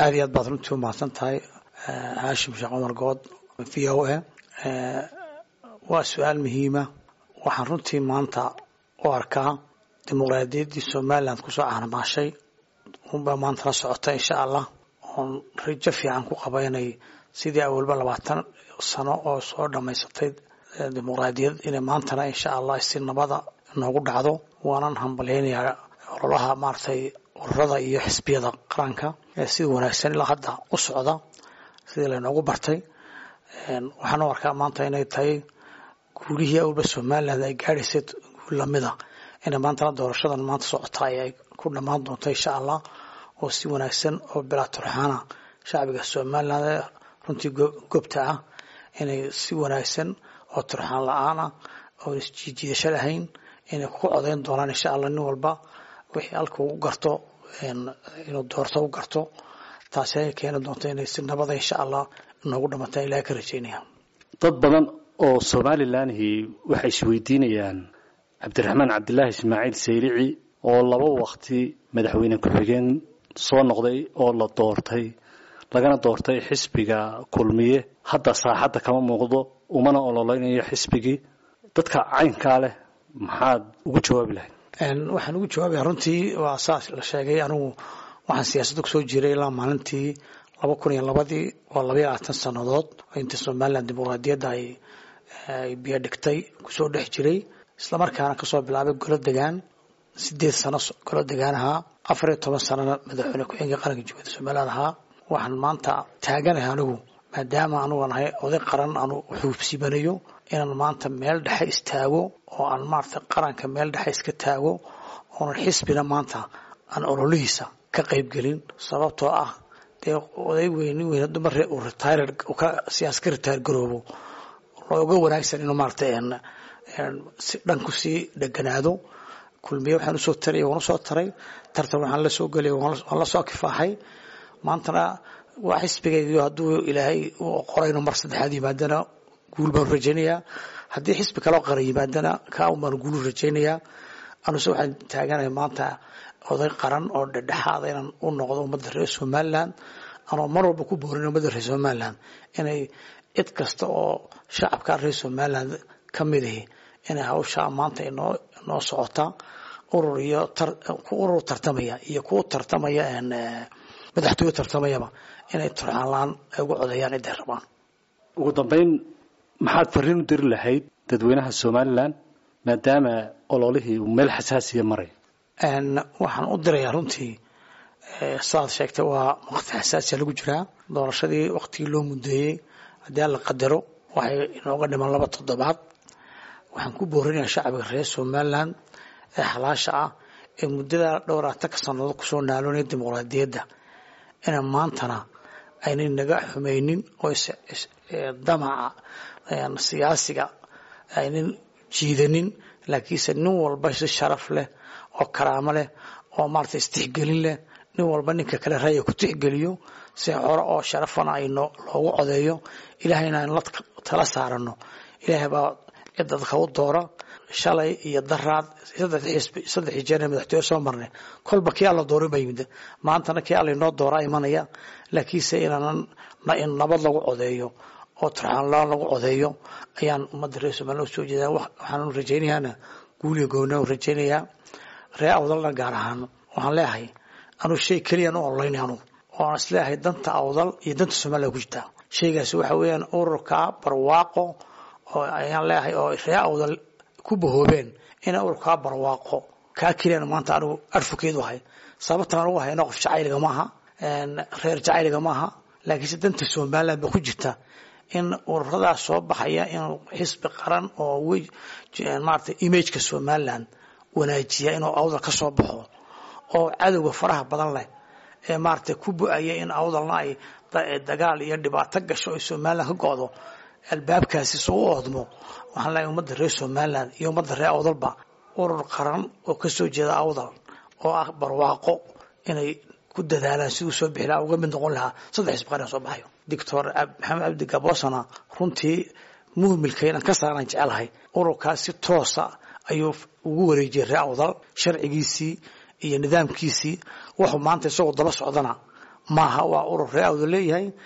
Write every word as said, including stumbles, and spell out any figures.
Aad iyo aad baad runtii u mahadsan tahay, Haashim Sheekh Cumar Good, V O A. Waa su-aal muhiima. Waxaan runtii maanta u arkaa dimuqraadiyaddii Somaliland kusoo caanamaashay unbaa maanta la socota, insha Allah, oon rajo fiican ku qaba inay sidii awalba labaatan sano oo soo dhammaysatay dimuqraadiyad inay maantana, insha Allah, si nabada noogu dhacdo. Waanan hambalyaynayaa ololaha maaragtay ururada iyo xisbiyada qaranka ee sida wanaagsan ilaa hadda u socda, sidii laynoogu bartay. Waxaan u arkaa maanta inay tahay guulihii awalba Somaliland ay gaadhaysay guul lamida inay maantana doorashadan maanta socota ay ku dhammaan doonto, insha Allah, oo si wanaagsan oo bilaa turxaana shacbiga Somaliland ee runtii gobta ah inay si wanaagsan oo turxaan la-aan ah oon isjiijiidasho lahayn inay ku codayn doonaan, insha Allah, nin walba wixii halka u garto inuu doorto u garto. Taasi ay keeni doonto inay si nabada, insha Allah, noogu dhamataan Ilahay ka rajaynaya. Dad badan oo Somalilanhi waxay isweydiinayaan Cabdiraxmaan Cabdilaahi Ismaaciil Saylici oo laba waqti madaxweyne ku-xigeen soo noqday oo la doortay, lagana doortay xisbiga Kulmiye, hadda saaxadda kama muuqdo, umana ololeynayo xisbigii. Dadka caynkaa leh maxaad ugu jawaabi lahayd? Waxaan ugu jawaabaya, runtii waa saas la sheegay, anigu waxaan siyaasadda kusoo jiray ilaa maalintii laba kun iyo labadii, waa labaiyo labaatan sannadood oo inta Somaliland dimuqraadiyadda ay ay biyo dhigtay kusoo dhex jiray, islamarkaana kasoo bilaabay golo degaan, sideed sano golo degaan ahaa, afar iyo toban sanona madaxweyne ku-xigeenka qaranka Jamhuuriyadda Somaliland ahaa. Waxaan maanta taaganahay anigu, maadaama anugu nahay oday qaran, anu xuubsibanayo inaan maanta meel dhexe istaago oo aan maarata qaranka meel dhexe iska taago, oonan xisbina maanta aan ololihiisa ka qaybgelin, sababtoo ah dee oday weyn, nin weyn dumar uu retire siyaas ka retire garoobo, looga wanaagsan inuu maarata si dhan kusii dheganaado. Kulmiye waxaan usoo taray waan usoo taray, tartan waxaan la soo gelay waan la soo kifaaxay, maantana waa xisbigaygiyo hadduu Ilaahay u qoray inuu mar saddexaad yimaadana guul baan rajaynayaa, haddii xisbi kaloo qaran yimaadana kaa un baan guulu rajaynayaa. Anuse waxaan taaganahay maanta oday qaran oo dhexdhexaada inaan u noqdo ummadda reer Somaliland, anoo mar walba ku boorin ummadda reer Somaliland inay cid kasta oo shacabka reer Somaliland ka mid ahi inay hawshaa maanta inoo inoo socota, urur iyo ku urur tartamaya iyo kuwa tartamaya madaxtooye tartamayaba, inay turxaan la-aan ay ugu codeeyaan ciday rabaan. Ugu dambeyn, maxaad fariin u diri lahayd dadweynaha Somaliland maadaama ololihii uu meel xasaasiya maray? Waxaan u dirayaa, runtii saad sheegtay, waa waqti xasaasiya lagu jiraa. Doorashadii waqtigii loo mudeeyey, haddii Alla qadaro, waxay inooga dhiman laba toddobaad. Waxaan ku boorinayaa shacbiga reer Somaliland ee xalaasha ah ee muddada dhowr atanka sannadood kusoo naaloonaya dimuqraadiyadda inaan maantana aynay naga xumaynin oo damaca siyaasiga aynan jiidanin, laakiinse nin walba si sharaf leh oo karaamo leh oo maarata istixgelin leh, nin walba ninka kale raya ku tixgeliyo, si hore oo sharafana ayno loogu codeeyo, Ilaahayna aynu la tala saarano. Ilaahay baa cid dadka u doora. Shalay iyo daraad saddex xisbi, saddexii jeer madaxtooye soo marnay, kolba kii Alla dooray baa yimid, maantana kii Alla inoo dooraa imanaya, laakiinse inaanan in nabad lagu codeeyo oo turxaan la-aan lagu codeeyo ayaan ummadda reer Somaliland u soo jeedaa. Waxaan rajaynayaana guuliyo goona u rajaynayaa reer Awdalna gaar ahaan. Waxaan leeyahay anuu shay keliyaan u ololeynay anugu oo aan isleeyahay danta Awdal iyo danta Somaliland ku jirtaa, shaygaasi waxa weeyaan ururka Barwaaqo oo ayaan leeyahay oo reer Awdal ku bahoobeen inay ururkaa Barwaaqo kaa keliyaan maanta anigu advocate u ahay. Sababtaan anugu hayno qof jacayliga maaha, reer jacayliga maaha, laakiinse danta Somaliland ba ku jirta in ururadaas soo baxaya inuu xisbi qaran oo maarata imageka Somaliland wanaajiya inuu Awdal ka soo baxo, oo cadowga faraha badan leh ee maaragtay ku bu-aya in Awdalna ay dagaal iyo dhibaato gasho ay Somaliland ka go-do, albaabkaasi soo u oodmo. Waxaan leeyahay ummadda reer Somaliland iyo ummadda reer Awdalba urur qaran oo kasoo jeeda Awdal oo ah Barwaaqo inay ku dadaalaan siduu soo bixi lahaa, uga mid noqon lahaa saddex xisbi qaran soo baxayo. Doctor Maxamed Cabdi Gaboosana runtii muhmilka inaan ka saaraan jecelahay. Ururkaas si toosa ayuu ugu wareejiyay reer Awdal sharcigiisii iyo nidaamkiisii, wuxuu maanta isagoo daba socdana Maaha, waa urur reer Awdal leeyahay.